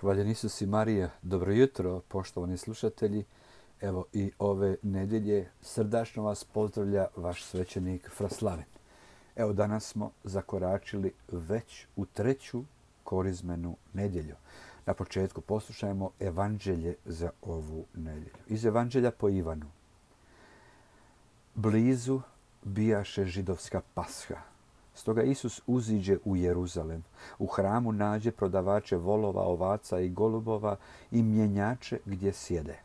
Hvaljen Isus i Marija, dobro jutro, poštovani slušatelji. Evo i ove nedjelje srdačno vas pozdravlja vaš svećenik Fra Slaven. Evo danas smo zakoračili već u treću korizmenu nedjelju. Na početku poslušajmo evanđelje za ovu nedjelju. Iz evanđelja po Ivanu. Blizu bijaše židovska pasha. Stoga Isus uziđe u Jeruzalem. U hramu nađe prodavače volova, ovaca i golubova i mjenjače gdje sjede.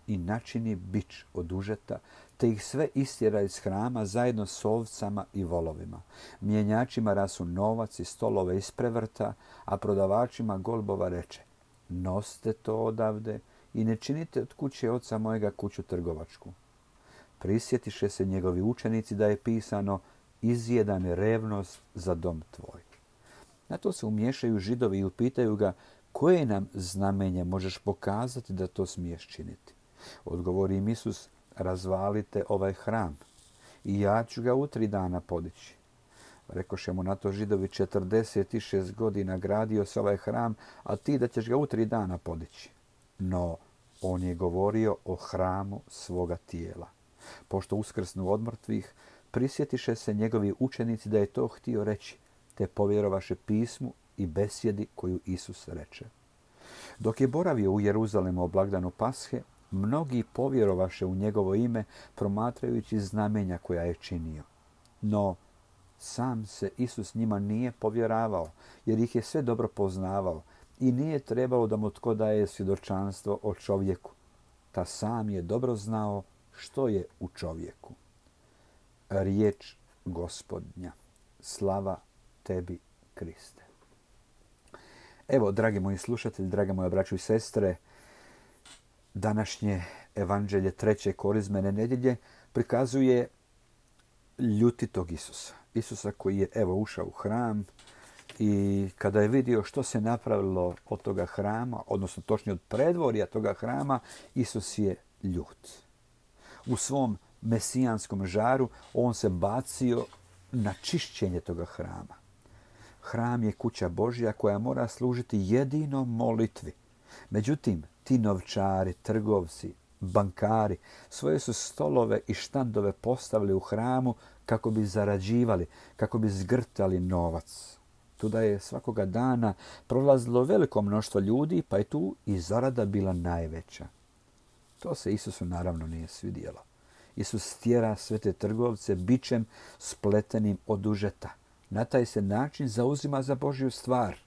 I načini bič od užeta, te ih sve istjera iz hrama zajedno s ovcama i volovima. Mjenjačima rasu novac i stolove isprevrta, a prodavačima golubova reče: nosite to odavde i ne činite od kuće oca mojega kuću trgovačku. Prisjetiše se njegovi učenici da je pisano: izjeda me revnost za dom tvoj. Na to se umiješaju Židovi i upitaju ga: koje nam znamenje možeš pokazati da to smiješ činiti? Odgovori im Isus: razvalite ovaj hram i ja ću ga u 3 dana podići. Rekoše mu na to Židovi: 46 godina gradio se ovaj hram, a ti da ćeš ga u 3 dana podići. No, on je govorio o hramu svoga tijela. Pošto uskrsnu od mrtvih, prisjetiše se njegovi učenici da je to htio reći, te povjerovaše pismu i besjedi koju Isus reče. Dok je boravio u Jeruzalemu o blagdanu Pashe, mnogi povjerovaše u njegovo ime, promatrajući znamenja koja je činio. No, sam se Isus njima nije povjeravao, jer ih je sve dobro poznavao i nije trebalo da mu tko daje svjedočanstvo o čovjeku. Ta sam je dobro znao što je u čovjeku. Riječ Gospodnja. Slava tebi, Kriste. Evo, dragi moji slušatelji, drage moje braćo i sestre, današnje evanđelje treće korizmene nedjelje prikazuje ljutitog Isusa. Isusa koji je evo ušao u hram i kada je vidio što se napravilo od toga hrama, odnosno točnije od predvorja toga hrama, Isus je ljut. U svom mesijanskom žaru on se bacio na čišćenje toga hrama. Hram je kuća Božja koja mora služiti jedino molitvi. Međutim, ti novčari, trgovci, bankari svoje su stolove i štandove postavili u hramu kako bi zarađivali, kako bi zgrtali novac. Tuda je svakoga dana prolazilo veliko mnoštvo ljudi, pa je tu i zarada bila najveća. To se Isusu naravno nije svidjelo. Isus tjera sve te trgovce bičem spletenim od užeta. Na taj se način zauzima za Božju stvar.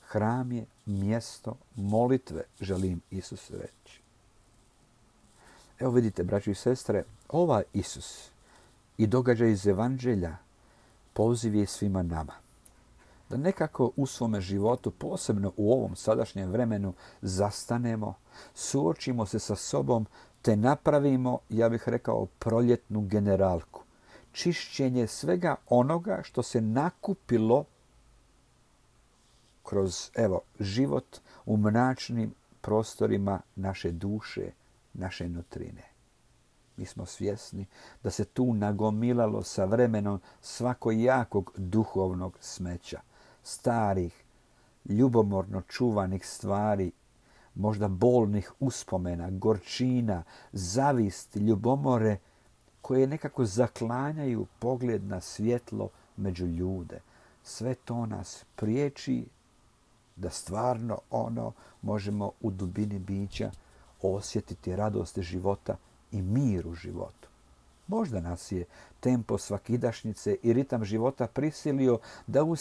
Hram je mjesto molitve, želim Isus reći. Evo vidite, braći i sestre, ovaj Isus i događaj iz evanđelja poziv je svima nama. Da nekako u svome životu, posebno u ovom sadašnjem vremenu, zastanemo, suočimo se sa sobom, te napravimo, ja bih rekao, proljetnu generalku. Čišćenje svega onoga što se nakupilo kroz, život u mračnim prostorima naše duše, naše nutrine. Mi smo svjesni da se tu nagomilalo sa vremenom svakojakog duhovnog smeća. Starih, ljubomorno čuvanih stvari, možda bolnih uspomena, gorčina, zavisti, ljubomore koje nekako zaklanjaju pogled na svjetlo među ljude. Sve to nas priječi da stvarno možemo u dubini bića osjetiti radost života i mir u životu. Možda nas je tempo svakidašnjice i ritam života prisilio da u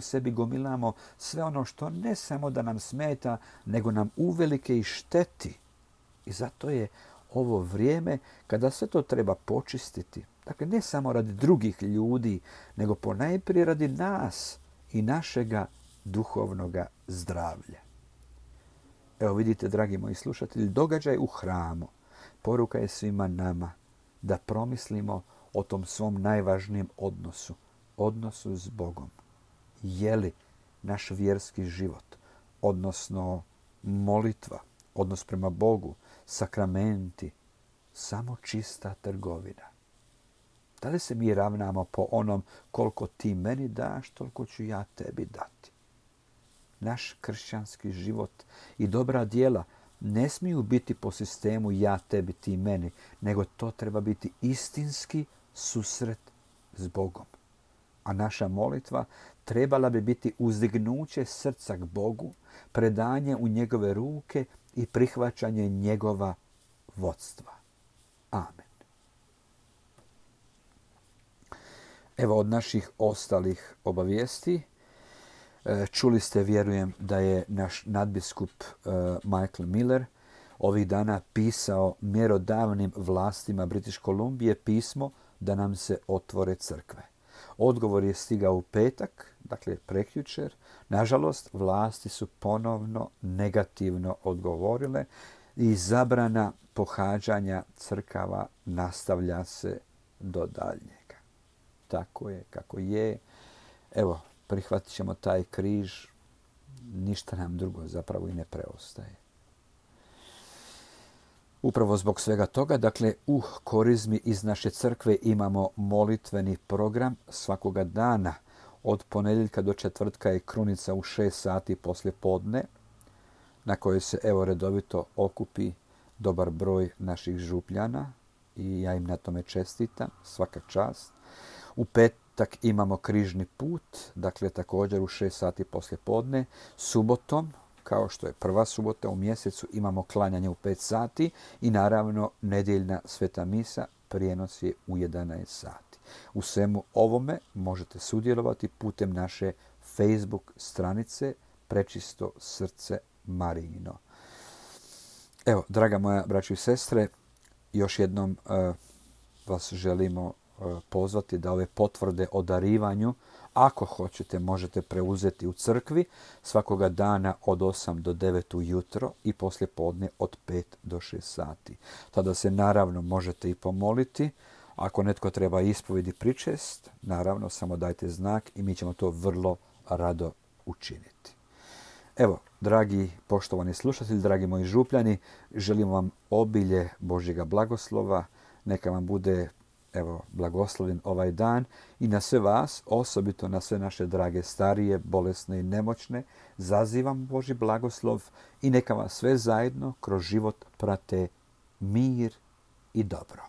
sebi gomilamo sve ono što ne samo da nam smeta, nego nam uvelike i šteti. I zato je ovo vrijeme kada sve to treba počistiti. Dakle, ne samo radi drugih ljudi, nego ponajprije radi nas i našega duhovnoga zdravlja. Evo vidite, dragi moji slušatelji, događaj u hramu. Poruka je svima nama da promislimo o tom svom najvažnijem odnosu s Bogom. Je li naš vjerski život, odnosno molitva, odnos prema Bogu, sakramenti, samo čista trgovina? Da li se mi ravnamo po onom koliko ti meni daš, toliko ću ja tebi dati? naš kršćanski život i dobra djela ne smiju biti po sistemu ja tebi, ti meni, nego to treba biti istinski susret s Bogom. A naša molitva trebala bi biti uzdignuće srca k Bogu, predanje u njegove ruke i prihvaćanje njegova vodstva. Amen. Evo od naših ostalih obavijesti. Čuli ste, vjerujem, da je naš nadbiskup Michael Miller ovih dana pisao mjerodavnim vlastima British Kolumbije pismo da nam se otvore crkve. Odgovor je stigao u petak, dakle prekjučer. Nažalost, vlasti su ponovno negativno odgovorile i zabrana pohađanja crkava nastavlja se do daljnjega. Tako je kako je. Evo, prihvatit ćemo taj križ. Ništa nam drugo zapravo i ne preostaje. Upravo zbog svega toga, dakle, u Korizmi iz naše crkve imamo molitveni program svakoga dana. Od ponedjeljka do četvrtka je krunica u 6 sati poslije podne, na kojoj se redovito okupi dobar broj naših župljana i ja im na tome čestitam, svaka čast. U petak imamo križni put, dakle također u 6 sati poslije podne. Subotom, kao što je prva subota u mjesecu, imamo klanjanje u 5 sati i naravno nedjeljna sveta misa, prijenos je u 11 sati. U svemu ovome možete sudjelovati putem naše Facebook stranice Prečisto srce Marijino. Evo, draga moja braćo i sestre, još jednom vas želimo pozvati da ove potvrde o darivanju, ako hoćete, možete preuzeti u crkvi svakoga dana od 8 do 9 ujutro i poslije podne od 5 do 6 sati. Tada se naravno možete i pomoliti. Ako netko treba ispovjedi pričest, naravno samo dajte znak i mi ćemo to vrlo rado učiniti. Evo, dragi poštovani slušatelji, dragi moji župljani, želim vam obilje Božjega blagoslova. Neka vam bude blagoslovljen ovaj dan i na sve vas, osobito na sve naše drage starije, bolesne i nemoćne, zazivam Božji blagoslov i neka vas sve zajedno kroz život prate mir i dobro.